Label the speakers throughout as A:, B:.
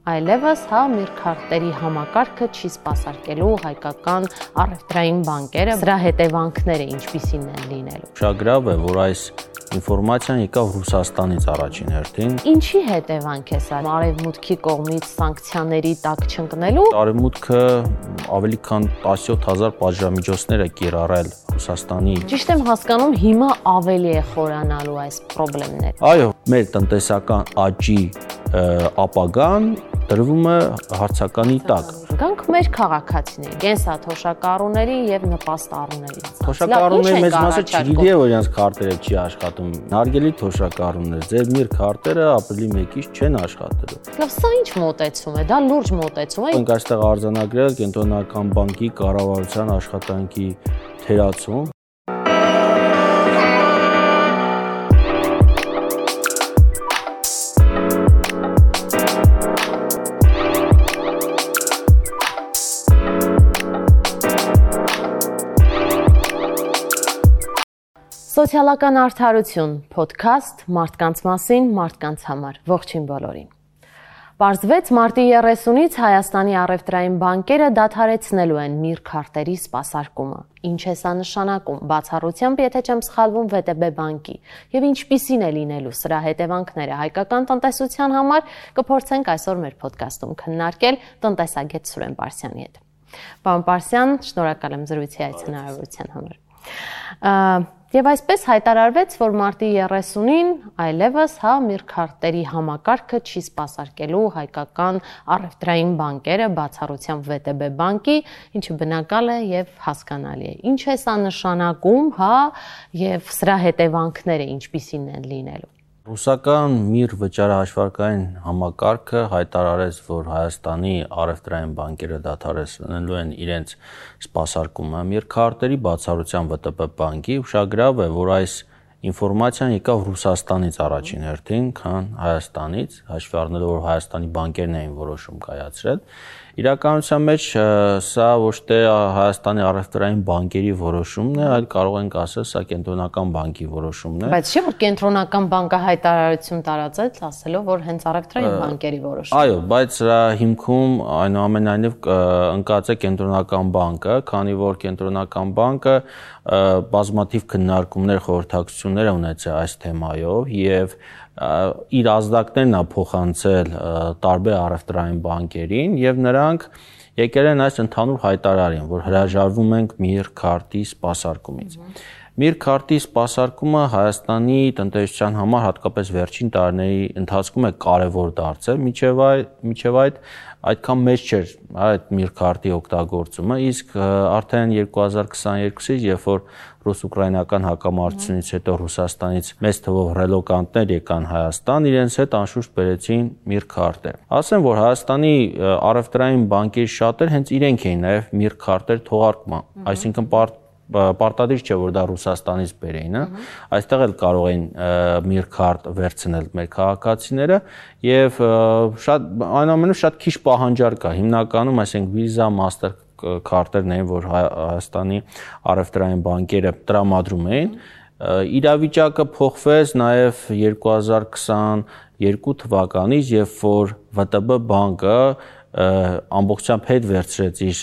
A: այլևս Միր քարտերի համակարգը չի սպասարկելու հայկական առևտրային բանկերը, սրա հետևանքները ինչպիսին են լինելու։
B: Շագրավ է, որ այս ինֆորմացիան եկավ Ռուսաստանից առաջին հերթին։
A: Ինչի հետևանք է սա արևմուտքի կողմից սանկցիաների տակ չընկնելու։
B: Արևմուտքը ավելի քան 17000 պատժամիջոցներ է կիրառել Ռուսաստանի։
A: Ճիշտ եմ հասկանում, հիմա ավելի է խորանալու այս խնդիրները։
B: Այո, մեր տնտեսական աճի ապագան դրվում է հարցականի տակ։
A: Գանք մեր քաղաքացիների, կենսաթոշակառուների եւ նպաստառուների։
B: Թոշակառուների մեծ մասը չգիտի որ իրենց քարտերը չի աշխատում։ Հարգելի թոշակառուներ, ձեր Միր քարտերը ապրիլի 1-ից չեն աշխատելու։
A: Լավ, սա ինչ մոտեցում է, դա լուրջ մոտեցում է։
B: Մենք այստեղ արձանագրել Կենտրոնական բանկի կառավարության աշխատանքի թերացում։
A: Սոցիալական արդարություն, փոդքասթ մարդկանց մասին, մարդկանց համար, ողջույն բոլորին։ Պարզվեց մարտի 30-ից Հայաստանի առևտրային բանկերը դադարեցնելու են Միր քարտերի սպասարկումը։ Ինչ է սա նշանակում, բացառությամբ, եթե չեմ սխալվում, ՎՏԲ բանկի, եւ ինչպիսին է լինելու սրա հետևանքները հայկական տնտեսության համար, կփորձենք այսօր մեր փոդքասթում քննարկել տնտեսագետ Սուրեն Պարսյանի հետ։ Պարոն Պարսյան, շնորհակալ եմ զրույցի հայցնարարության համար։ Եվ այսպես հայտարարվեց, որ մարտի 30-ին այլևս Միր քարտերի համակարգը չի սպասարկելու հայկական առևտրային բանկերը, բացառությամբ ՎՏԲ բանկի, ինչը բնական է եւ հասկանալի է։ Ինչ է սա նշանակում, եւ սրա հետևանքները ինչպիսին են լինելու։
B: Ռուսական Միր վճարահաշվարկային համակարգը հայտարարեց, որ Հայաստանի առևտրային բանկերը դադարեցնելու են իրենց սպասարկումը Միր քարտերի, բացառությամբ ՎՏԲ բանկի։ Ուշագրավ է, որ այս ինֆորմացիան եկավ Ռուսաստանից առաջին հերթին, քան Հայաստանից, հաշվի առնելով, որ Հայաստանի բանկերն էին որոշում կայացրել։ Իրականության մեջ սա ոչ թե Հայաստանի առևտրային բանկերի որոշումն է, այլ կարող ենք ասել, սա Կենտրոնական բանկի որոշումն է։
A: Բայց չէ՞ որ Կենտրոնական բանկը հայտարարություն տարածեց, ասելով, որ հենց առևտրային բանկերի որոշումն է։
B: Այո, բայց սրա հիմքում այնուամենայնիվ ընկած է Կենտրոնական բանկը, քանի որ Կենտրոնական բանկը բազմաթիվ քննարկումներ, խորհրդակցություններ ունեցել այս թեմայով եւ իր ազդակներն է փոխանցել տարբեր առևտրային բանկերին եւ նրանք եկել են այս ընդհանուր հայտարարին, որ հրաժարվում ենք Միր քարտի սպասարկումից։ Միր քարտի սպասարկումը Հայաստանի տնտեսության համար հատկապես վերջին տարիների ընթացքում է կարևոր դարձել, միջև այդ այդքան մեծ չէր այդ Միր քարտի օգտագործումը, իսկ արդեն 2022-ից, երբ որ ռուս-ուկրաինական հակամարտությունից հետո Ռուսաստանից մեծ թվով ռելոկանտներ եկան Հայաստան, իրենց հետ անշուշտ բերեցին Միր քարտեր։ Ասեմ, որ Հայաստանի առևտրային բանկերի շատեր հենց իրենք էին նաև Միր քարտեր թողարկման, այսինքն պարտադիր չէ, որ դա Ռուսաստանից բերեին, այստեղ էլ կարող էին Միր քարտ վերցնել մեր քաղաքացիները եւ այնուամենայնիվ շատ քիչ պահանջարկ կա, հիմնականում այսինքն Visa, Master քարտերն էին, որ Հայաստանի առևտրային բանկերը տրամադրում էին։ Իրավիճակը փոխվեց նաև 2022 թվականից, երբ որ ՎՏԲ բանկը ամբողջությամբ հետ վերցրեց իր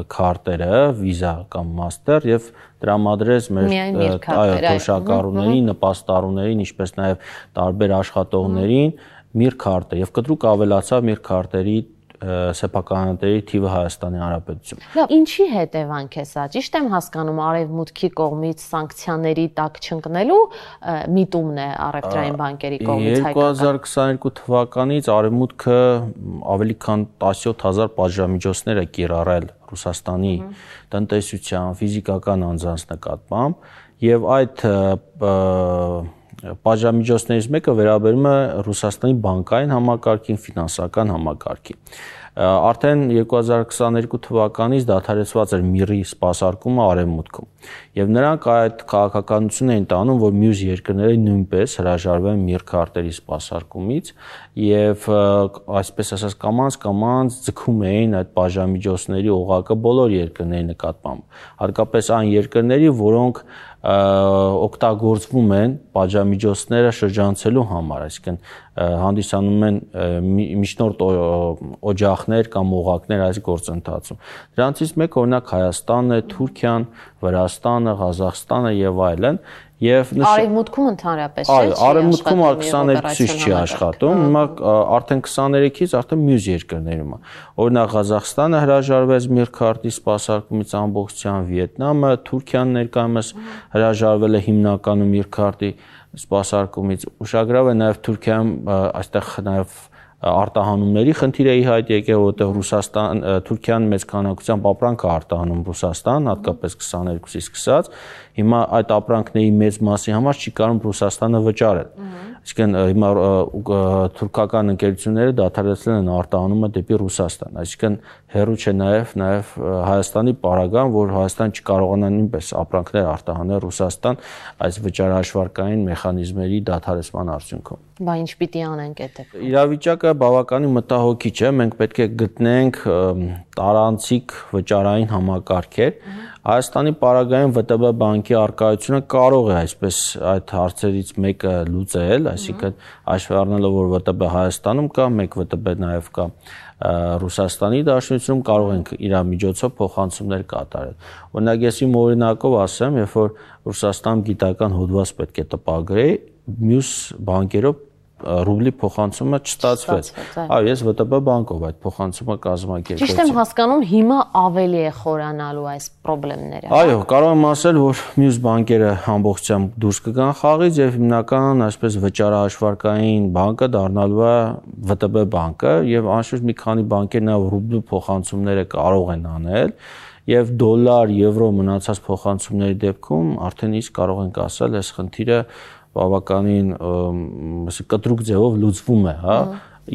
B: քարտերը, Visa կամ Master եւ տրամադրեց մեր թոշակառուներին, նպաստառուներին, ինչպես նաև տարբեր աշխատողներին Միր քարտը եւ կտրուկ ավելացավ Միր քարտերի սեփականատերերի թիվը Հայաստանի Հանրապետությունում։
A: Լավ, ինչի հետևանք է սա։ Ճիշտ եմ հասկանում, արևմուտքի կողմից սանկցիաների տակ չընկնելու միտումն է առևտրային բանկերի կողմից հայկական։
B: 2022 թվականից արևմուտքը ավելի քան 17000 պատժամիջոցներ է կիրառել Ռուսաստանի տնտեսության, ֆիզիկական անձանց նկատմամբ եւ այդ պատժամիջոցներից մեկը վերաբերում է Ռուսաստանի բանկային համակարգին, ֆինանսական համակարգին։ Արդեն 2022 թվականից դադարեցված էր Միրի սպասարկումը արևմուտքում եւ նրանք այդ քաղաքականությունն էին տանում, որ մյուս երկրները նույնպես հրաժարվեն Միր քարտերի սպասարկումից եւ այսպես ասած կամաց ձգում էին այդ բաժամիջոցների օղակը բոլոր երկրների նկատմամբ, հատկապես այն երկրների, որոնք օգտագործվում են պատժամիջոցները շրջանցելու համար, այսինքն հանդիսանում են միջնորդ օջախներ կամ օղակներ այս գործընթացում։ Դրանցից մեկը օրինակ Հայաստանն է, Թուրքիան, Վրաստանը, Ղազախստանը եւ այլն։
A: Արևմուտքում ընդհանրապես չէ։
B: Արևմուտքում 22-ից չի աշխատում, հիմա արդեն 23-ից արդեն մյուս երկրներում է։ Օրինակ Ղազախստանը հրաժարվեց Միրքարտի սպասարկումից ամբողջությամբ, Վիետնամը, Թուրքիան ներկայումս հրաժարվել է հիմնականում Միրքարտի սպասարկումից։ Ուշագրավ է նաև Թուրքիայում այստեղ նաև արտահանումների խնդիր է ի հայտ եկել, որտեղ Թուրքիան մեծ քանակությամբ ապրանք է արտահանում Ռուսաստան, հատկապես 22-ից սկսած։ Հիմա այդ ապրանքների մեծ մասի համար չի կարող Ռուսաստանը վճարել։ Այսինքն հիմա թուրքական ընկերությունները դադարեցրել են արտահանումը դեպի Ռուսաստան։ Այսինքն հեռու չէ նաև Հայաստանի պարագան, որ Հայաստան չկարողանա նույնպես ապրանքներ արտահանել Ռուսաստան այս վճարահաշվարկային մեխանիզմերի դադարեցման արդյունքում։
A: Բա ինչ պիտի անենք այդտեղ։
B: Իրավիճակը բավականին մտահոգիչ է, մենք պետք է գտնենք տարանցիկ վճարային համակարգեր։ Հայաստանի պարագայում ՎՏԲ բանկի արկայությունը կարող է այսպես այդ հարցերից մեկը լուծել, այսինքն հաշվի առնելով, որ ՎՏԲ Հայաստանում կա, մեկ ՎՏԲ նաև կա Ռուսաստանի Դաշնությունում, կարող ենք իր միջոցով փոխանցումներ կատարել։ Օրինակ ես իմ օրինակով ասեմ, երբ որ Ռուսաստանում գիտական հոդված պետք է տպագրեի, մյուս բանկերով ռուբլի փոխանցումը չստացվեց։ Այո, ես ՎՏԲ բանկով այդ փոխանցումը կազմակերպեցի։
A: Ճիշտ եմ հասկանում, հիմա ավելի է խորանալու այս խնդիրները։
B: Այո, կարող եմ ասել, որ մյուս բանկերը ամբողջությամբ դուրս կգան խաղից եւ հիմնական այսպես վճարահաշվարկային բանկը դառնալու է ՎՏԲ բանկը եւ անշուշտ մի քանի բանկեր նաեւ ռուբլու փոխանցումները կարող են անել եւ դոլար, եվրո մնացած փոխանցումների դեպքում արդեն իսկ կարող ենք ասել, այս խնդիրը բավականին կտրուկ ձևով լուծվում է, հա,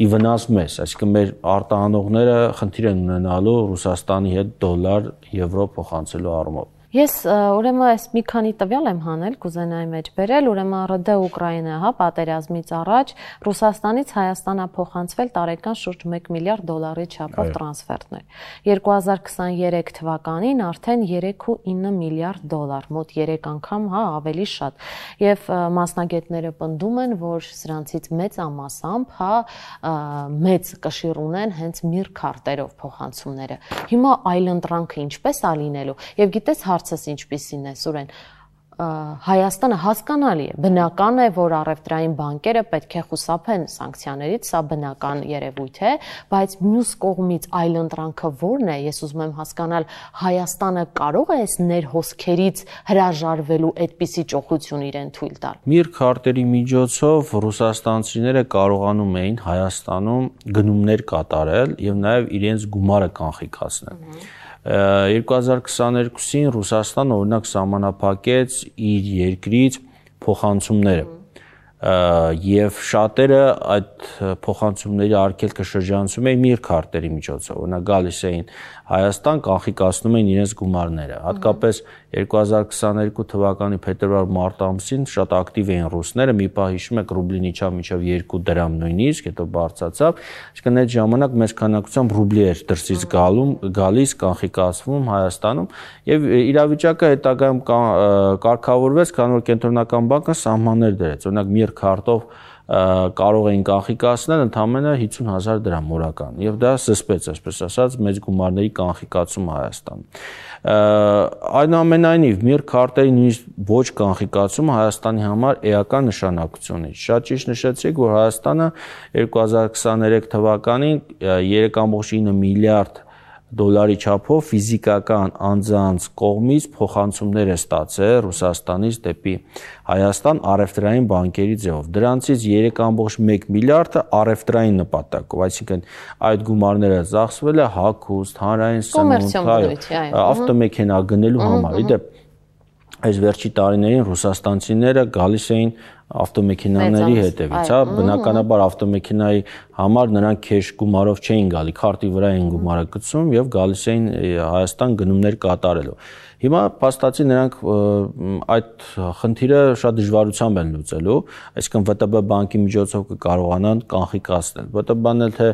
B: ի վնաս մեզ, այսինքն մեր արտահանողները խնդիր են ունենալու Ռուսաստանի հետ դոլար, եվրո փոխանցելու առումով։
A: Ես ուրեմն այս մի քանի տվյալ եմ հանել, կուզենայի մեջ բերել, ուրեմն ՌԴ Ուկրաինա, հա, պատերազմից առաջ Ռուսաստանից Հայաստան է փոխանցվել տարեկան շուրջ 1 միլիարդ դոլարի չափով տրանսֆերտներ։ 2023 թվականին արդեն 3.9 միլիարդ դոլար, մոտ 3 անգամ, հա, ավելի շատ։ Եվ մասնագետները պնդում են, որ սրանցից մեծամասամբ, հա, մեծ կշիռ ունեն հենց Միրքարտերով փոխանցումները։ Հիմա այլընտրանքը ինչպես է լինելու։ Եվ գիտես հարցս ինչպիսին է, Սուրեն, Հայաստանը հասկանալի է, բնական է, որ առևտրային բանկերը պետք է խուսափեն սանկցիաներից, սա բնական երևույթ է, բայց մյուս կողմից այլընտրանքը ո՞րն է, ես ուզում եմ հասկանալ, Հայաստանը կարող է այս ներհոսքերից հրաժարվելու այդպիսի ճոխություն իրեն թույլ տալ։
B: Միրքարտերի միջոցով ռուսաստանցիները կարողանում էին Հայաստանում գնումներ կատարել եւ նաեւ իրենց գումարը կանխիկացնել։ 2022-ին Ռուսաստանը օրինակ սահմանափակեց իր երկրից փոխանցումները եւ շատերը այդ փոխանցումների արգելքը շրջանցում էին Միրքարտերի միջոցով, օրինակ գալիս էին Հայաստան, կանխիկացնում էին իրենց գումարները, հատկապես 2022 թվականի փետրվար-մարտ ամսին շատ ակտիվ էին ռուսները, մի պահ հիշում եք ռուբլին իջավ մինչև 2 դրամ նույնիսկ, հետո բարձրացավ, այսինքն այդ ժամանակ մեծ քանակությամբ ռուբլի էր դրսից գալիս, կանխիկացվում Հայաստանում եւ իրավիճակը հետագայում կարգավորվեց, քանի որ կենտրոնական բանկը սահմաններ դրեց, օրինակ Միրքարտով կարող էին կանխիկացնել ընդամենը 50,000 դրամ օրական եւ դա զսպեց, այսպես ասած, մեծ գումարների կանխիկացումը Հայաստանում։ Այնուամենայնիվ Միրքարտերի նույնիսկ ոչ կանխիկացումը Հայաստանի համար էական նշանակություն ունի։ Շատ ճիշտ նշեցիք, որ Հայաստանը 2023 թվականին 3.9 միլիարդ դոլարի չափով ֆիզիկական անձանց կողմից փոխանցումներ է ստացել Ռուսաստանից դեպի Հայաստան առևտրային բանկերի ձևով։ Դրանցից 3.1 միլիարդը առևտրային նպատակով, այսինքն այդ գումարները ծախսվել է հագուստ, հանրային սնունդ, ավտոմեքենա գնելու համար։ Իդեպ այս վերջի տարիներին ռուսաստանցիները գալիս էին ավտոմեքենաների հետևից, հա, բնականաբար ավտոմեքենայի համար նրանք քեշ գումարով չէին գալի, քարտի վրա էին գումարը գցում եւ գալիս էին Հայաստան գնումներ կատարելու։ Հիմա փաստացի նրանք այդ խնդիրը շատ դժվարությամբ են լուծելու, այսինքն ՎՏԲ բանկի միջոցով կկարողանան կանխիկացնել։ ՎՏԲ-ն էլ թե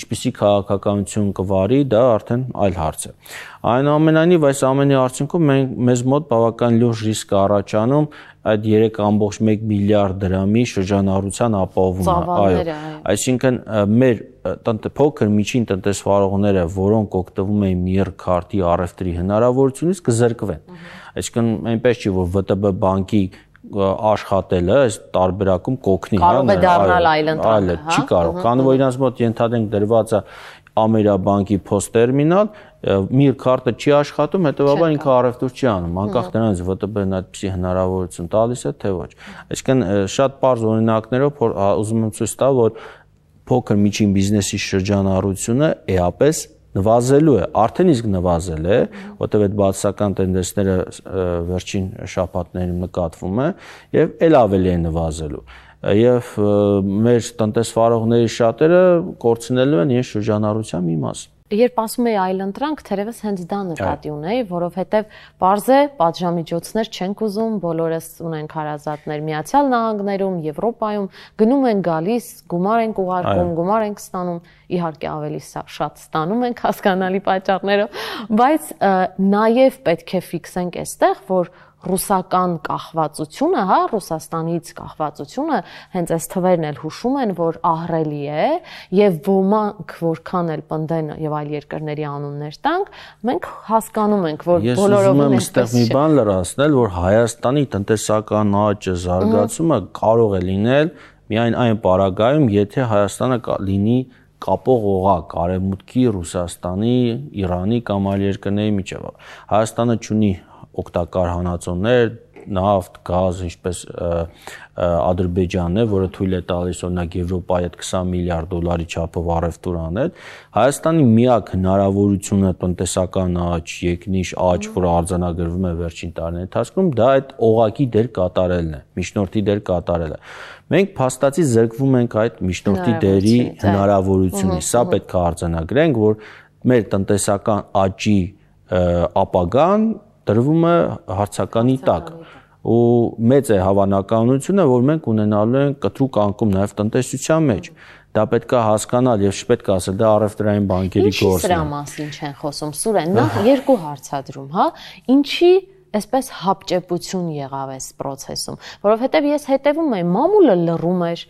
B: ինչպիսի քաղաքականություն կվարի, դա արդեն այլ հարց է։ Այնուամենայնիվ այս ամենի արդյունքում մեզ մոտ բավական լուրջ ռիսկ առաջանում այդ 3.1 միլիարդ դրամի շրջանառության ապահովումը, այո, այսինքն մեր փոքր միջին տնտեսվարողները, որոնք օգտվում են միեռ քարտի առևտրի հնարավորությունից կզրկվեն։ Այսինքն այնպես չի, որ ՎՏԲ բանկի աշխատելը այս տարբերակում կօգնի,
A: կարող է դառնալ այլընտրանք,
B: չի կարող, քանի որ իրանց մոտ ենթադրենք դրված է Ամերաբանկի փոստտերմինալ, միր քարտը չի աշխատում, հետեւաբար ինքը առևտուր չի անում, անկախ նրանից ՎՏԲ-ն այդպիսի հնարավորություն տալիս է թե ոչ։ Այսինքն շատ պարզ օրինակներով ուզում եմ ցույց տալ, որ փոքր միջին բիզնեսի շրջանառությունը էապես նվազելու է, արդեն իսկ նվազել է, որտեղ այդ բացասական տենդենսները վերջին շաբաթներին նկատվում է եւ ել ավելի է նվազելու։ Եվ մեր տնտեսվարողների շատերը կորցնելու են իրենց շրջանառության մի մաս։
A: Երբ ասում էի այլընտրանք, թերևս հենց դա նկատի ունեի, որովհետև պարզ է, պատժամիջոցներ չենք ուզում, բոլորս ունենք հարազատներ Միացյալ Նահանգներում, Եվրոպայում, գնում են գալիս, գումար ենք ուղարկում, գումար ենք ստանում, իհարկե ավելի շատ ստանում ենք հասկանալի պատճառներով, բայց նաև պետք է ֆիքսենք այստեղ, որ ռուսական կախվածությունը, հա, Ռուսաստանից կախվածությունը, հենց այս թվերն էլ հուշում են, որ ահռելի է եւ ոմանք որքան էլ պնդեն եւ այլ երկրների անուններ տանք, մենք հասկանում ենք, որ բոլորովին
B: էսպես չէ։ Ես ուզում եմ այստեղ մի բան լրացնել, որ Հայաստանի տնտեսական աճը, զարգացումը կարող է լինել միայն այն պարագայում, եթե Հայաստանը լինի կապող օղակ Արևմուտքի, Ռուսաստանի, Իրանի կամ այլ երկրների միջև։ Հայաստանը ունի օգտակար հանածոներ, նավթ, գազ, ինչպես Ադրբեջանն է, որը թույլ է տալիս օրինակ Եվրոպայի հետ 20 միլիարդ դոլարի չափով առևտուր անել։ Հայաստանի միակ հնարավորությունը տնտեսական աճ, եկնիշ աճ, որը արձանագրվում է վերջին տարիների ընթացքում, դա այդ օղակի դեր կատարելն է, միջնորդի դեր կատարելը։ Մենք փաստացի զրկվում ենք այդ միջնորդի դերի հնարավորությունից։ Սա պետք է արձանագրենք, որ մեր տնտեսական աճի ապագան դրվում է հարցականի տակ ու մեծ է հավանականությունը, որ մենք ունենալու ենք կտրուկ անկում նաև տնտեսության մեջ։ Դա պետք է հասկանալ եւ չպետք է ասել դա առևտրային բանկերի գործն է։
A: Ինչի սրա մասին չեն խոսում, Սուրեն, նախ երկու հարցադրում, հա, ինչի այսպես հապճեպություն եղավ այս process-ում, որովհետև ես հետևում եմ, մամուլը լռում էր,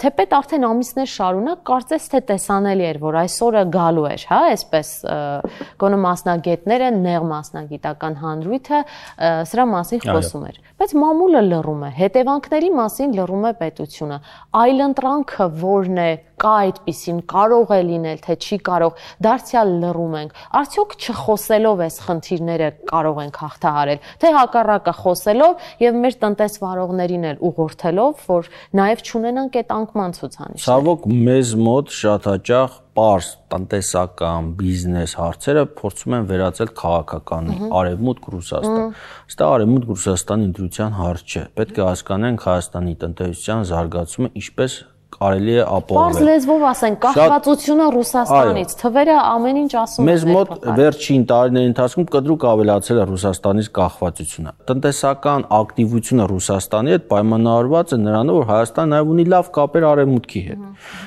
A: թեպետ արդեն ամիսներ շարունակ կարծես թե տեսանելի էր, որ այսօրը գալու էր, հա, այսպես գոնե մասնագետները, նեղ մասնագիտական հանրույթը սրա մասին խոսում էր, բայց մամուլը լռում է, հետևանքների մասին լռում է պետությունը, այլընտրանքը որն է, կա այդպիսին, կարող է լինել, թե չի կարող, դարձյալ լռում ենք, արդյոք չխոսելով այս խնդիրները կարող ենք հաղթահարել, թե հակառակը խոսելով եւ մեր տնտեսվարողներին էլ ուղղորդելով, որ նաեւ չունենանք այդ անկման ցուցանիշներ։
B: Ցավոք մեզ մոտ շատ հաճախ պարզ տնտեսական բիզնես հարցերը փորձում են վերածել քաղաքականի, Արևմուտք Ռուսաստան։ Սա Արևմուտք Ռուսաստանի ընտրության հարց չէ։ Պետք է հասկանանք Հայաստանի տնտեսության զարգացումը ինչպես կարելի է ապահովել։
A: Պարզ լեզվով ասենք, կախվածությունը Ռուսաստանից, թվերը ամեն ինչ ասում են։
B: Մեզ մոտ վերջին տարիների ընթացքում կտրուկ ավելացել է Ռուսաստանից կախվածությունը։ Տնտեսական ակտիվությունը Ռուսաստանի հետ պայմանավորված է նրանով, որ Հայաստանը նաև ունի լավ կապեր Արևմուտքի հետ։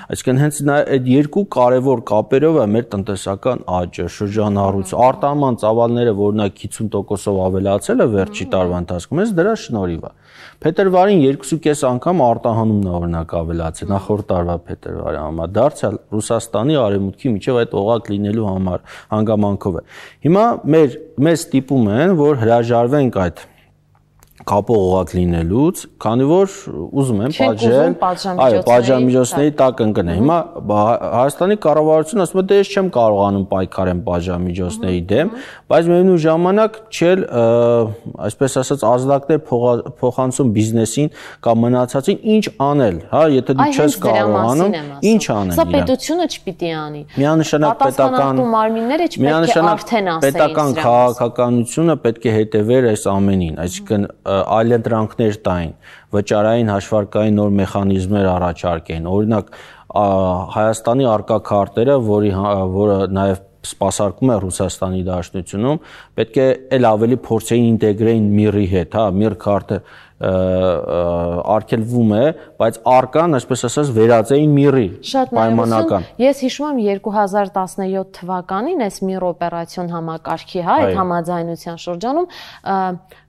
B: Այսինքն հենց այդ երկու կարևոր կապերով է մեր տնտեսական աճը, շրջանառությունը, արտահանման ծավալները, որ նա 50%-ով ավելացել է վերջի տարվա ընթացքում, հենց դրա շնորհիվ է։ Փետրվարին 2.5 անգամ արտահանումն օրինակ ավելացել, նախորդ տարվա փետրվարի համար, դարձյալ Ռուսաստանի Արևմուտքի միջև այդ օղակ լինելու համար հանգամանքով է։ Հիմա մեզ ստիպում են, որ հրաժարվենք այդ կապող օղակ լինելուց, քանի որ ուզում են պատժել, այո, պատժամիջոցների տակ ընկնել։ Հիմա Հայաստանի կառավարությունը ասում է, դե ես չեմ կարողանում պայքարեմ պատժամիջոցների դեմ, բայց միևնույն ժամանակ չել, այսպես ասած, ազդակներ փոխանցում բիզնեսին կամ մնացածին ինչ անել, հա, եթե դու չես կարողանում, ինչ անել։
A: Սա պետությունը չպիտի անի։
B: Միանշանակ պետական
A: մարմինները չպետք է արդեն ասեին
B: պետական քաղաքականությունը պետք է հետևեր այս ամենին, այսինքն այլընտրանքներ տային, վճարային հաշվարկային նոր մեխանիզմներ առաջարկեն, օրինակ Հայաստանի արկա քարտերը, որը նաև սպասարկում է Ռուսաստանի Դաշնությունում, պետք է էլ ավելի փորձեին ինտեգրեին MIR-ի հետ, հա, MIR քարտը արգելվում է, բայց արկան, այսպես ասած, վերածեին MIR-ի պայմանական։
A: Ես հիշում եմ 2017 թվականին այս MIR օպերացիոն համակարգի, հա, այդ համաձայնության շրջանում,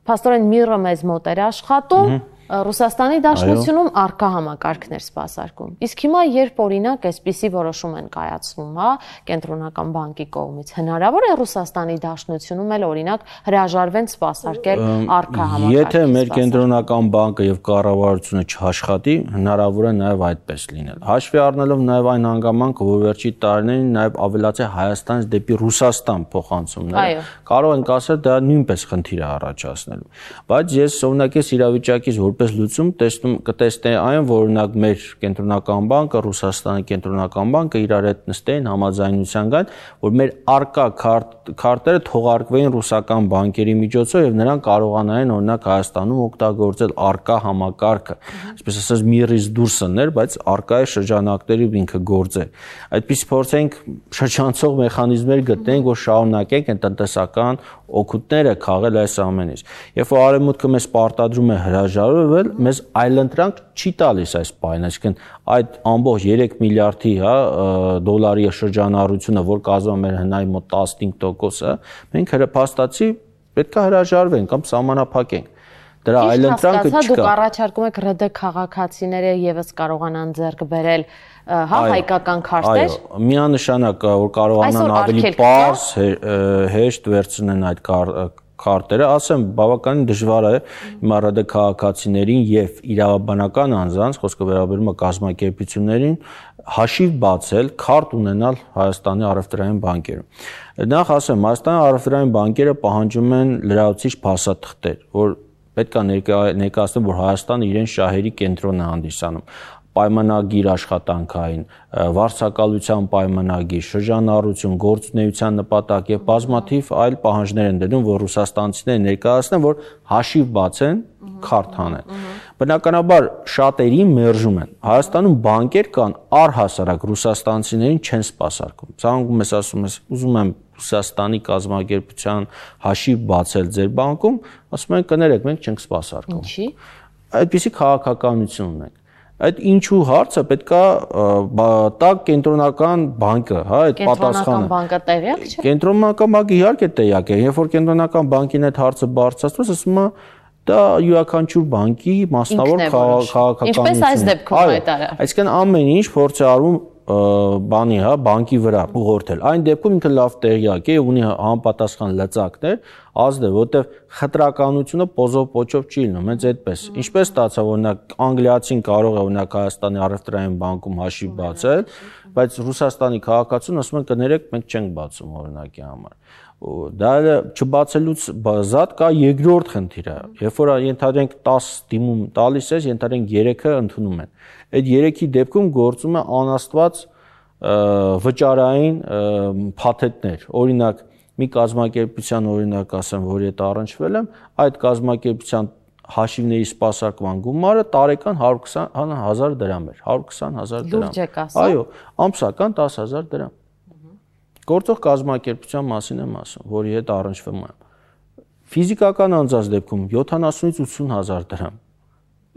A: փաստորեն MIR-ը մեզ մոտ էր աշխատում, Ռուսաստանի Դաշնությունում արկա համակարգներ սպասարկում։ Իսկ հիմա երբ օրինակ այսպիսի որոշում են կայացնում, հա, կենտրոնական բանկի կողմից, հնարավոր է Ռուսաստանի Դաշնությունում էլ օրինակ հրաժարվեն սպասարկել արկա համակարգ։
B: Եթե մեր կենտրոնական բանկը եւ կառավարությունը չաշխատի, հնարավոր է նաեւ այդպես լինել։ Հաշվի առնելով նաեւ այն հանգամանքը, որ վերջի տարիներին նաեւ ավելացել Հայաստանից դեպի Ռուսաստան փոխանցումները, կարող ենք ասել դա նույնպես խնդիր է առաջացնելու։ Բայց ես օրինակ այս իրավիճակից որպես լուծում կտեսնեի այն, որ օրինակ մեր կենտրոնական բանկը, Ռուսաստանի կենտրոնական բանկը իրար հետ նստեին համաձայնության գան, որ մեր արկա քարտերը թողարկվեին ռուսական բանկերի միջոցով եւ նրանք կարողանային օրինակ Հայաստանում օգտագործել արկա համակարգը, այսպես ասած MIR-ից դուրս ըններ, բայց արկայի շրջանակների ինքը գործեր։ Այդպես փորձենք շրջանցող մեխանիզմներ գտնենք, որ շարունակենք այն տնտեսական օգուտները քաղել այս ամենից։ Երբ որ արևմուտքը մեզ պարտադրում է հրաժարվել, մեզ այլընտրանք չի տալիս այս պահին, այսինքն այդ ամբողջ 3 միլիարդի, հա, դոլարի շրջանառությունը, որ կազմում է մեր հնայի մոտ 15%-ը, մենք հրապաստացի պետք է հրաժարվենք կամ սահմանափակենք։ Դրա այլընտրանքը չկա։
A: Դուք առաջարկում եք ՌԴ քաղաքացիները եւս կարողանան ձեռք բերել, հա, հայկական քարտեր։
B: Այո, միանշանակ որ կարողանան ավելի պարզ, հեշտ վերցնեն այդ քարտերը, ասեմ, բավականին դժվար է հիմա ՌԴ քաղաքացիներին եւ իրավաբանական անձանց, խոսքը վերաբերում է կազմակերպություններին, հաշիվ բացել, քարտ ունենալ Հայաստանի առևտրային բանկերում։ Նախ ասեմ, Հայաստանի առևտրային բանկերը պահանջում են լրացուցիչ փաստաթղթեր, որ պետք է ներկայացնեն, որ Հայաստանը իրեն շահերի կենտրոն է հանդիսանում, պայմանագիր աշխատանքային, վարձակալության պայմանագիր, շրջանառություն, գործունեության նպատակ եւ բազմաթիվ այլ պահանջներ են դնում, որ ռուսաստանցիները ներկայացնեն, որ հաշիվ բացեն, քարտ հանեն։ Բնականաբար շատերին մերժում են։ Հայաստանում բանկեր կան առհասարակ ռուսաստանցիներին չեն սպասարկում։ Ցանկում ես ասում ես, ուզում եմ Ռուսաստանի կազմակերպության հաշիվ բացել ձեր բանկում, ասում են կներեք, մենք չենք սպասարկում։
A: Ինչի՞։
B: Այդպիսի քաղաքականություն ունենք։ Այդ ինչու հարցը պետքա տա կենտրոնական բանկը, հա, այդ պատասխանը։
A: Կենտրոնական բանկը տեղյակ չէ։
B: Կենտրոնական բանկը իհարկե տեղյակ է, երբ որ կենտրոնական բանկին այդ հարցը բարձրացվեց, ասում է դա յուրաքանչյուր բանկի մասնավոր քաղաքականություն։
A: Ինչպես այս դեպքում հայտարարել։
B: Այսինքն ամեն ինչ փորձ է արվում բանի, հա, բանկի վրա ուղղորդել։ Այն դեպքում ինքը լավ տեղյակ է, ունի համապատասխան լծակներ, ազդել, որտեղ խտրականությունը պոզով պոչով չի լինում, հենց այդպես։ Ինչպես ստացա, օրինակ անգլիացին կարող է օրինակ Հայաստանի առևտրային բանկում հաշիվ բացել, բայց Ռուսաստանի քաղաքացուն ասում են կներեք, մենք չենք բացում օրինակի համար։ Դա չբացելուց զատ կա երկրորդ խնդիրը, երբ որ ենթադրենք 10 դիմում տալիս ես, ենթադրենք 3-ը ընդունում են։ Այդ 3-ի դեպքում գործում է անաստված վճարային փաթեթներ, օրինակ մի կազմակերպության օրինակ ասեմ, որի հետ առնչվել եմ, այդ կազմակերպության հաշիվների սպասարկման գումարը տարեկան 120,000 դրամ էր, 120,000 դրամ։
A: Լուրջ եք ասում։
B: Այո, ամսական 10,000 դրամ։ Գործող կազմակերպության մասին եմ ասում, որի հետ առնչվում եմ։ Ֆիզիկական անձանց դեպքում 70-ից 80,000 դրամ։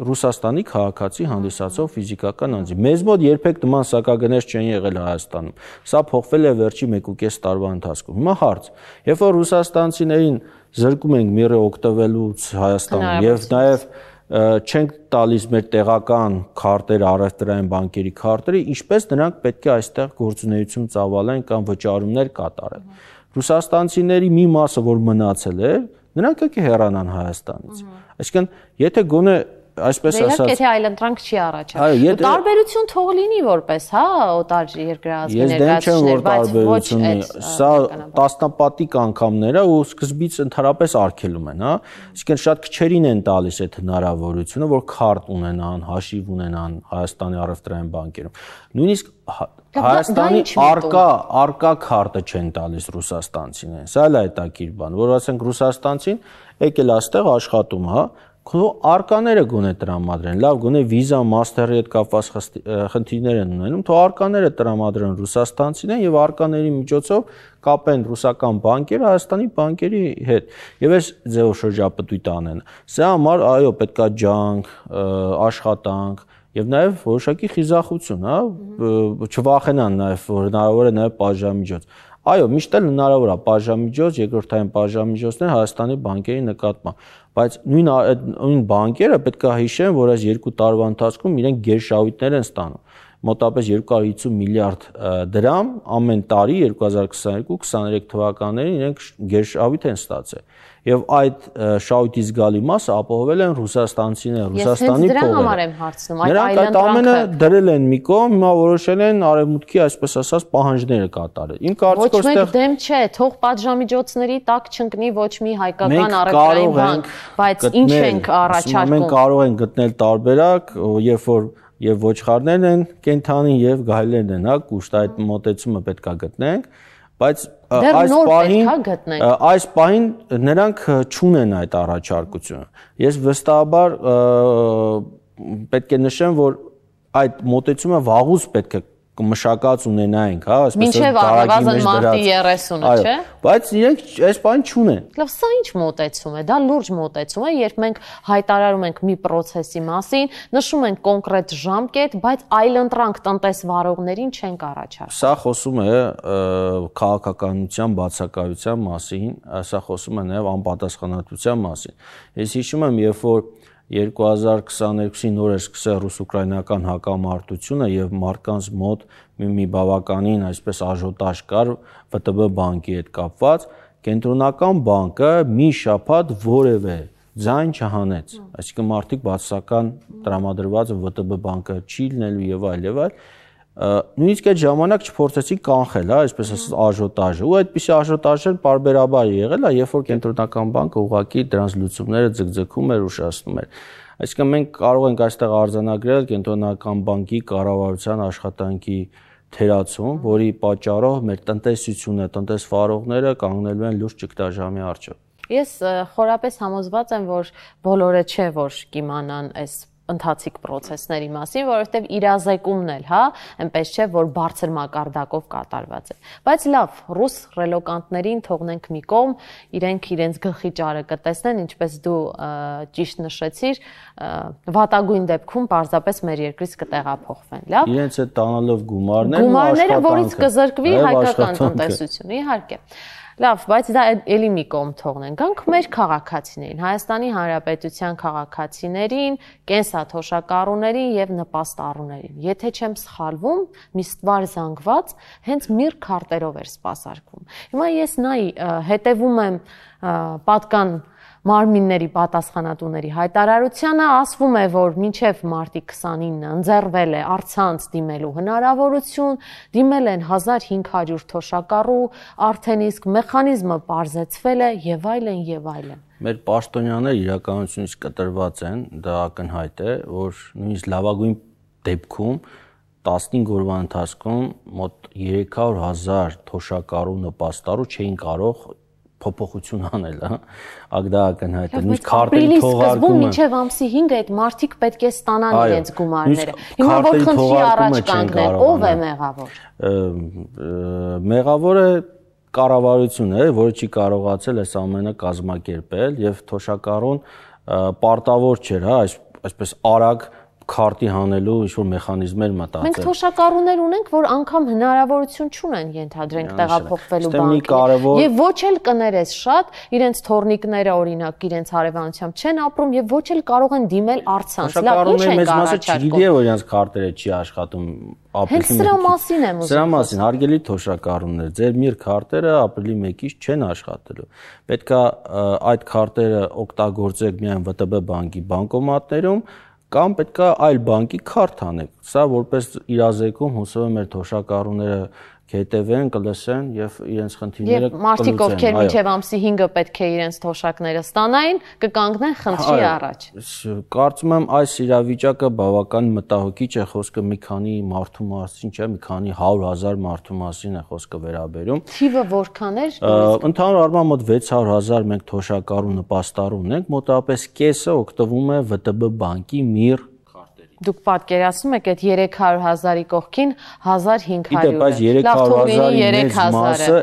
B: Ռուսաստանի քաղաքացի հանդիսացող ֆիզիկական անձի։ Մեզ մոտ երբեք նման սակագներ չեն եղել Հայաստանում։ Սա փոխվել է վերջի 1.5 տարվա ընթացքում։ Հիմա հարց. երբ որ ռուսաստանցիներին զրկում ենք MIR-ը օգտվելուց Հայաստանում եւ նաեւ չենք տալիս մեր տեղական քարտերը, առևտրային բանկերի քարտերը, ինչպես նրանք պետք է այստեղ գործունեություն ծավալեն կամ վճարումներ կատարեն։ Ռուսաստանցիների մի մասը, որ մնացել է, նրանք եկե հեռանան Հայաստանից։ Այսինքն, եթե գոնե այսպես ասած,
A: եթե այլընտրանք չի առաջանում։ Տարբերություն թող լինի որպես, հա, օտար երկրազգի ներկայացուցիչներ, բայց ոչ այդ
B: սա տասնապատիկ անգամները ու սկզբից ընդհանրապես արգելում են, հա։ Այսինքն շատ քչերին են տալիս այդ հնարավորությունը, որ քարտ ունենան, հաշիվ ունենան Հայաստանի առևտրային բանկերում։ Նույնիսկ Հայաստանի արկա քարտը չեն տալիս ռուսաստանցիներին։ Սա էլ է հետաքրքիր բան, որ ասենք ռուսաստանցին եկել այստեղ աշխատում, հա, քո արկաները գոնե տրամադրեն, լավ, գոնե Visa, Master-ի հետ կապված խնդիրներ են ունենում, թող արկաները տրամադրեն ռուսաստանցիներին եւ արկաների միջոցով կապեն ռուսական բանկերը Հայաստանի բանկերի հետ եւ այս ձեւով շրջապտույտ անեն։ Սա համար այո, պետքա ջանք, աշխատանք եւ նաեւ որոշակի խիզախություն, հա, չվախենան նաեւ, որ հնարավոր է նաեւ պատժամիջոց։ Այո, միշտ էլ հնարավոր է պատժամիջոց, երկրորդային պատժամիջոցներ Հայաստանի բանկերի նկատմամբ, բայց նույն բանկերը պետք է հիշեն, որ այս 2 տարվա ընթացքում իրենք գերշահույթներ են ստանում։ Մոտապես 250 միլիարդ դրամ ամեն տարի 2022-23 թվականներին իրենք գերշահույթ են ստացել։ Եվ այդ շահույթի զգալի մասը ապահովել են ռուսաստանցիները, Ռուսաստանի փողերը։ Ես դրա համար եմ հարցնում, այդ այլընտրանքը։ Նրանք այդ ամենը դրել են մի կողմ, հիմա որոշել են արևմուտքի, այսպես ասած, պահանջները կատարել։ Իմ կարծիքով
A: ոչ մեկ դեմ չէ, թող պատժամիջոցների տակ չընկնի ոչ մի հայկական առևտրային բանկ, բայց ինչ ենք առաջարկում։
B: Մենք կարող ենք գտնել տարբերակ, երբ որ եւ ոչխարներն են կենթանի եւ գայլերն են, հա, կուշտ այդ մոտեցումը պետքա գտնենք, բայց այս պահին նրանք չունեն այդ առաջարկությունը։ Ես վստահաբար պետք է նշեմ, որ այդ մոտեցումը վաղուց պետք է մշակած ունենայինք, հա,
A: այսպես առնվազն մարտի 30-ը, չէ՞։
B: Բայց իրենք այս բան չունեն։
A: Լավ, սա ինչ մոտեցում է։ Դա լուրջ մոտեցում է, երբ մենք հայտարարում ենք մի process-ի մասին, նշում ենք կոնկրետ ժամկետ, բայց այլընտրանք տնտեսվարողներին չենք առաջարկում։
B: Սա խոսում է քաղաքականության բացակայության մասին, սա խոսում է նաև անպատասխանատվության մասին։ Ես հիշում եմ, երբ որ 2022-ի նոր էր սկսել ռուս-ուկրաինական հակամարտությունը եւ մարդկանց մոտ մի բավականին այսպես աժոտաժ կար ՎՏԲ բանկի հետ կապված, կենտրոնական բանկը մի շաբաթ որևէ ձայն չհանեց, այսինքն մարդիկ բացասական տրամադրված ՎՏԲ բանկը չի լինելու եւ այլ եւ այլ, նույնիսկ այդ ժամանակ չփորձեցին կանխել, հա, այսպես ասած աժոտաժը, ու այդպիսի աժոտաժներ պարբերաբար եղել է, երբ որ կենտրոնական բանկը ուղղակի դրանց լուծումները ձգձգում էր, ուշացնում էր։ Այսինքն մենք կարող ենք այստեղ արձանագրել կենտրոնական բանկի կառավարության աշխատանքի թերացում, որի պատճառով մեր տնտեսությունը, տնտեսվարողները կանգնելու են լուրջ ճգնաժամի առջև։
A: Ես խորապես համոզված եմ, որ բոլորը չէ, որ կիմանան այս ընթացիկ process-ների մասին, որովհետև իրազեկումն էլ, հա, այնպես չէ, որ բարձր մակարդակով կատարված է։ Բայց լավ, ռուս ռելոկանտներին թողնենք մի կողմ, իրենք իրենց գլխի ճարը կտեսնեն, ինչպես դու ճիշտ նշեցիր, վատագույն դեպքում պարզապես մեր երկրից կտեղափոխվեն, լավ։
B: Իրենց հետ տանալով գումարները,
A: որից կզրկվի հայկական տնտեսությունը, իհարկե։ Լավ, բայց դա էլի մի կողմ թողնենք։ Գանք մեր քաղաքացիներին, Հայաստանի Հանրապետության քաղաքացիներին, կենսաթոշակառուներին եւ նպաստառուներին։ Եթե չեմ սխալվում, մի ստվար զանգված հենց միր քարտերով էր սպասարկվում։ Հիմա ես հետևում եմ պատկան մարմինների պատասխանատուների հայտարարությանը, ասվում է, որ մինչև մարտի 29-ը ընձեռվել է առցանց դիմելու հնարավորություն, դիմել են 1500 թոշակառու, արդեն իսկ մեխանիզմը պարզեցվել է եւ այլն եւ այլն։
B: Մեր պաշտոնյաները իրականությունից կտրված են, դա ակնհայտ է, որ նույնիսկ լավագույն դեպքում 15 օրվա ընթացքում մոտ 300,000 թոշակառու նպաստառու չէին կարող փոփոխություն անել, հա, ագդա ակնհայտ է, նույնիսկ քարտերի թողարկումը
A: մինչև ամսի 5-ը այդ մարդիկ պետք է ստանան իրենց գումարները։ Հիմա որ խնդրի առաջ կանգնել, ով է մեղավոր։
B: Մեղավորը կառավարությունն է, որը չի կարողացել այս ամենը կազմակերպել եւ թոշակառուն պարտավոր չէր, հա, այսպես արագ քարտի հանելու ինչ-որ մեխանիզմեր մտածել։
A: Մենք թոշակառուներ ունենք, որ անգամ հնարավորություն չունեն ենթադրենք տեղափոխվելու բանկին։ Եվ ոչ էլ կներես շատ, իրենց թորնիկները օրինակ իրենց հարևանությամբ չեն ապրում եւ ոչ էլ կարող են դիմել առցանց։ Լավ, ինչ են առաջարկում։
B: Չգիտի որ իրենց քարտերը չի աշխատում ապրիլի 1-ից։
A: Հենց սրա մասին եմ ուզում։
B: Սրա մասին, հարգելի թոշակառուներ, ձեր միր քարտերը ապրիլի 1-ից չեն աշխատելու։ Պետքա այդ քարտերը օգտագործեք միայն ՎՏԲ բանկի բանկոմատներում կամ պետքա այլ բանկի քարտ անեք։ Սա որպես իրազեկում հուսով եմ մեր թոշակառուները կհետևեն, կլսեն եւ իրենց խնդիրները
A: կլուծեն։ Եվ մարդիկ, ովքեր մինչեւ ամսի 5-ը պետք է իրենց թոշակները ստանային, կկանգնեն խնդրի առաջ։
B: Կարծում եմ այս իրավիճակը բավական մտահոգիչ է, խոսքը մի քանի մարդու մասին չէ, մի քանի 100,000 մարդու մասին է խոսքը վերաբերում։
A: Թիվը որքան էր։
B: Ընդհանուր առմամբ մոտ 600,000 մենք թոշակառու նպաստառու ունենք, մոտավորապես կեսը օգտվում է ՎՏԲ բանկի MIR քարտերից։
A: Դուք պատկերացնում եք այդ 300,000-ի կողքին 1500-ը։
B: Այս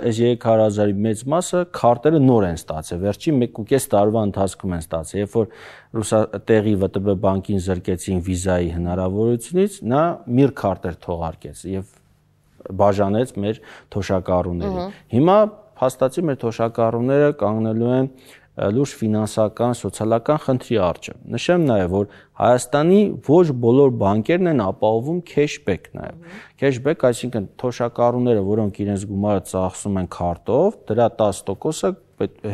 B: 300,000-ի մեծ մասը քարտերը նոր են ստացել, վերջին 1.5 տարվա ընթացքում են ստացել, երբ որ տեղի ՎՏԲ բանկին զրկեցին վիզայի հնարավորությունից, նա MIR քարտեր թողարկեց եւ բաժանեց մեր թոշակառուներին։ Հիմա փաստացի մեր թոշակառուները կանգնելու են լուրջ ֆինանսական, սոցիալական խնդրի առջև։ Նշեմ նաև, որ Հայաստանի ոչ բոլոր բանկերն են ապահովում քեշբեք նաև։ Քեշբեք, այսինքն թոշակառուները, որոնք իրենց գումարը ծախսում են քարտով, դրա 10%-ը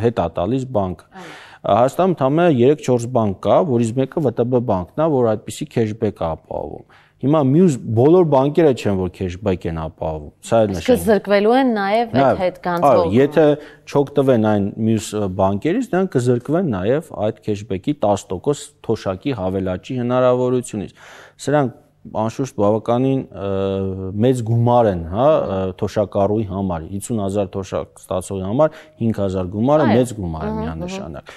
B: հետ է տալիս բանկը։ Հայաստանում ընդամենը 3-4 բանկ կա, որից մեկը ՎՏԲ բանկն է, որ այդպիսի քեշբեք է ապահովում։ Հիմա մյուս բոլոր բանկերը չեն, որ քեշբեք են ապահովում։ Սա էլ նշեմ։
A: Իսկ զրկվելու են նաև այդ հետ գանձվող։
B: Եթե չօգտվեն այն մյուս բանկերից, դրանք կզրկվեն նաև այդ քեշբեկի 10% թոշակի հավելաճի հնարավորությունից։ Սրանք անշուշտ բավականին մեծ գումար են, հա, թոշակառուի համար, 50,000 թոշակ ստացողի համար 5,000 գումարը մեծ գումար է միանշանակ։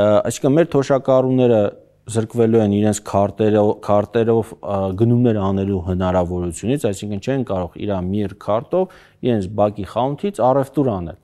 B: Այսինքն մեր թոշակառուները զրկվելու են իրենց քարտերով գնումներ անելու հնարավորությունից, այսինքն չեն կարող իր MIR քարտով իրենց բակի խանութից առևտուր անել։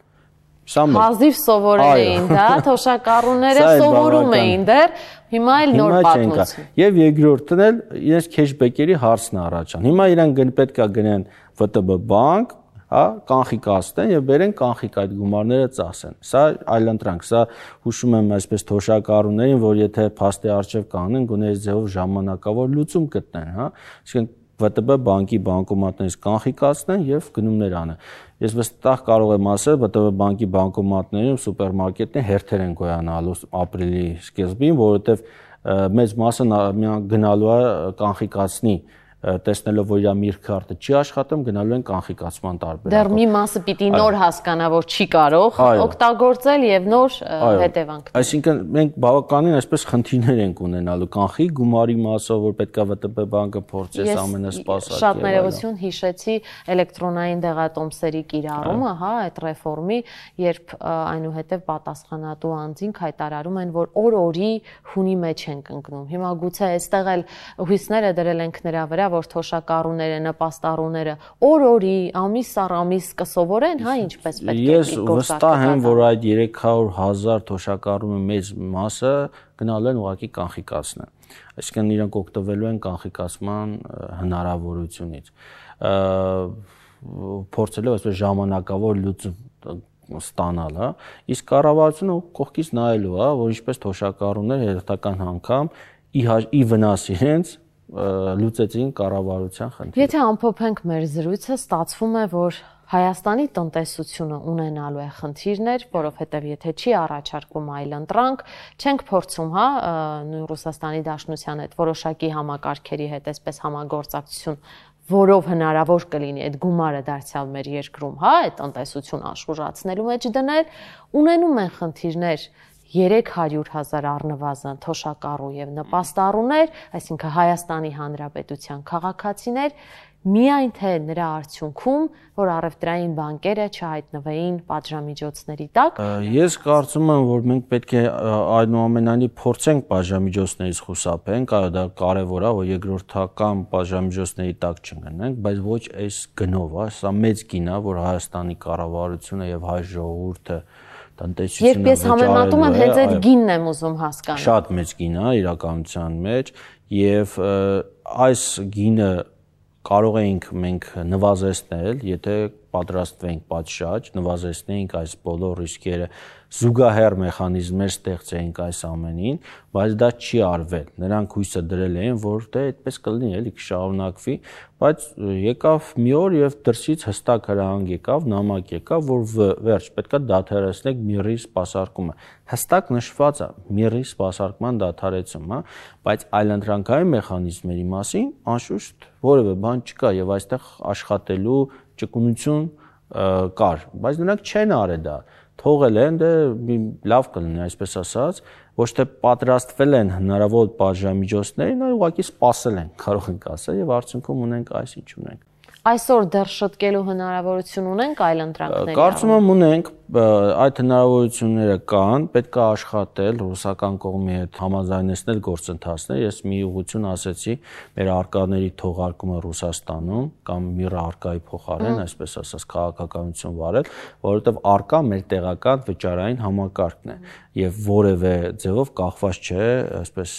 A: Հազիվ սովորել էին դա, թոշակառուները սովորում էին դեռ, հիմա էլ նոր պատմություն։
B: Եվ երկրորդն էլ իրենց քեշբեկերի հարցն առաջան։ Հիմա իրանք պետք է գնեն ՎՏԲ բանկ, հա, կանխիկացնեն եւ բերեն կանխիկ այդ գումարները ծախսեն։ Սա այլընտրանք, սա հուշում եմ այսպես թոշակառուներին, որ եթե փաստի արժեվ կանգնեն, գոնե այս ձևով ժամանակավոր լուծում գտնեն, հա։ Այսինքն ՎՏԲ բանկի բանկոմատներից կանխիկացնեն եւ գնումներ անեն։ Ես վստահ կարող եմ ասել, ՎՏԲ բանկի բանկոմատներում սուպերմարկետներ հերթեր են գոյանալու ապրիլի սկզբին, որովհետեւ մեծ մասը գնալու է կանխիկացնի տեսնելով, որ իր MIR քարտը չի աշխատում, գնալու են կանխիկացման տարբերակով։
A: Դեռ մի մասը պիտի նոր հասկանա, որ չի կարող օգտագործել եւ նոր հետևանքներ։
B: Այսինքն մենք բավականին այսպես խնդիրներ ենք ունենալու կանխի գումարի մասով, որ պետքա ՎՏԲ բանկը փորձես ամենասպասակ։
A: Շատ ներողություն հիշեցի էլեկտրոնային դեղատոմսերի կիրառումը, հա, այդ ռեֆորմի, երբ այնուհետև պատասխանատու անձին հայտարարում են, որ օր-օրի հունի մեջ են ընկնում։ Հիմա գուցե այստեղ էլ հույսները դրել ենք նրա վրա, որ թոշակառուները, նպաստառուները օր-օրի, ամիս առ ամիս կսովորեն, հա, ինչպես պետք է
B: Ես վստահ եմ, որ այդ 300,000 թոշակառուի մեծ մասը գնալու են ուղղակի կանխիկացնեն։ Այսինքն իրենք օգտվելու են կանխիկացման հնարավորությունից։ Փորձելով այսպես ժամանակավոր լուծում ստանալ, հա, իսկ կառավարությունը կողքից նայելու, հա, որ ինչպես թոշակառուները հերթական անգամ ի վնաս իրենց լուծեցին կառավարության խնդիրը։
A: Եթե ամփոփենք մեր զրույցը, ստացվում է, որ Հայաստանի տնտեսությունը ունենալու է խնդիրներ, որովհետև եթե չի առաջարկվում այլընտրանք, չենք փորձում, հա, նույն Ռուսաստանի Դաշնության հետ որոշակի համակարգերի հետ այսպես համագործակցություն, որով հնարավոր կլինի այդ գումարը դարձյալ մեր երկրում, հա, այդ տնտեսություն աշխուժացնելու մեջ դնել, ունենում են խնդիրներ 300,000 առնվազն թոշակառու եւ նպաստառուներ, այսինքն Հայաստանի Հանրապետության քաղաքացիներ, միայն թե նրա արդյունքում, որ առևտրային բանկերը չհայտնվեին պատժամիջոցների տակ։
B: Ես կարծում եմ, որ մենք պետք է այնուամենայնիվ փորձենք պատժամիջոցներից խուսափենք, այո, դա կարևոր է, որ երկրորդական պատժամիջոցների տակ չընկնենք, բայց ոչ այս գնով, սա մեծ գին է, որ Հայաստանի կառավարությունը եւ հայ ժողովուրդը
A: Երբ ես համեմատում եմ, հենց այդ գինն եմ ուզում հասկանալ։
B: Շատ մեծ գին է իրականության մեջ եւ այս գինը կարող ենք մենք նվազեցնել, եթե պատրաստվենք պատշաճ, նվազեցնենք այս բոլոր ռիսկերը, զուգահեռ մեխանիզմներ ստեղծենք այս ամենին, բայց դա չի արվել։ Նրանք հույսը դրել էին, որ դե այդպես կլինի, էլի կշարունակվի, բայց եկավ մի օր եւ դրսից հստակ հրահանգ եկավ, նամակ եկավ, որ վերջ, պետքա դադարեցնեք MIR-ի սպասարկումը։ Հստակ նշված է MIR-ի սպասարկման դադարեցում, հա, բայց այլընտրանքային մեխանիզմների մասին անշուշտ որևէ բան չկա եւ այստեղ աշխատելու ճկունություն կար, բայց նրանք չեն արել դա, թողել են, դե լավ կլինի, այսպես ասած, ոչ թե պատրաստվել են հնարավոր պատժամիջոցներին, այլ ուղղակի սպասել են, կարող ենք ասել, եւ արդյունքում ունենք այս ինչ ունենք։
A: Այսօր դեռ շտկելու հնարավորություն ունենք այլ ընտրանքների։
B: Կարծում եմ ունենք, այդ հնարավորությունները կան, պետք է աշխատել, ռուսական կողմի հետ համաձայնեցնել գործընթացները։ Ես մի ուղղություն ասեցի, մեր արկաների թողարկումը Ռուսաստանում կամ միրը արկայի փոխարեն, այսպես ասած, քաղաքականություն վարել, որովհետև արկա մեր տեղական վճարային համակարգն է եւ որևէ ձևով կախված չէ, այսպես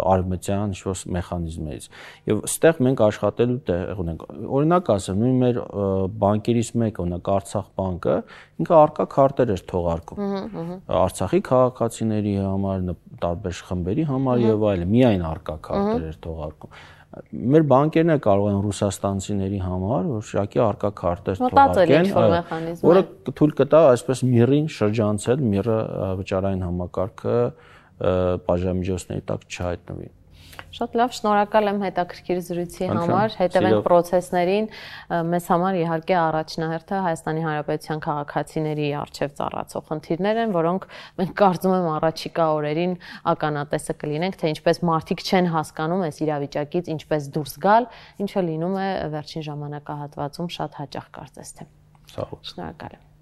B: արմատյան ինչ-որ մեխանիզմներից։ Եվ այստեղ մենք աշխատելու տեղ ունենք։ Օրինակ ասեմ, նույն մեր բանկերից մեկը, օրինակ Արցախ բանկը, ինքը արկա քարտեր էր թողարկում Արցախի քաղաքացիների համար, տարբեր խմբերի համար եւ այլն, միայն արկա քարտեր էր թողարկում։ Մեր բանկերն կարող են ռուսաստանցիների համար որոշակի արկա քարտեր թողարկեն, որը թույլ կտա այսպես միրին շրջանցել, միրը վճարային համակարգը պատժամիջոցների տակ չհայտնվի։
A: Շատ լավ, շնորհակալ եմ հետաքրքիր զրույցի համար, հետևենք պրոցեսներին, մեզ համար իհարկե առաջնահերթը Հայաստանի Հանրապետության քաղաքացիների առջև ծառացող խնդիրներ են, որոնք մենք կարծում եմ առաջիկա օրերին ականատեսը կլինենք, թե ինչպես մարդիկ չեն հասկանում այս իրավիճակից ինչպես դուրս գալ, ինչը լինում է վերջին ժամանակահատվածում շատ հաճախ կարծես թե։
B: Շնորհակալ
A: եմ։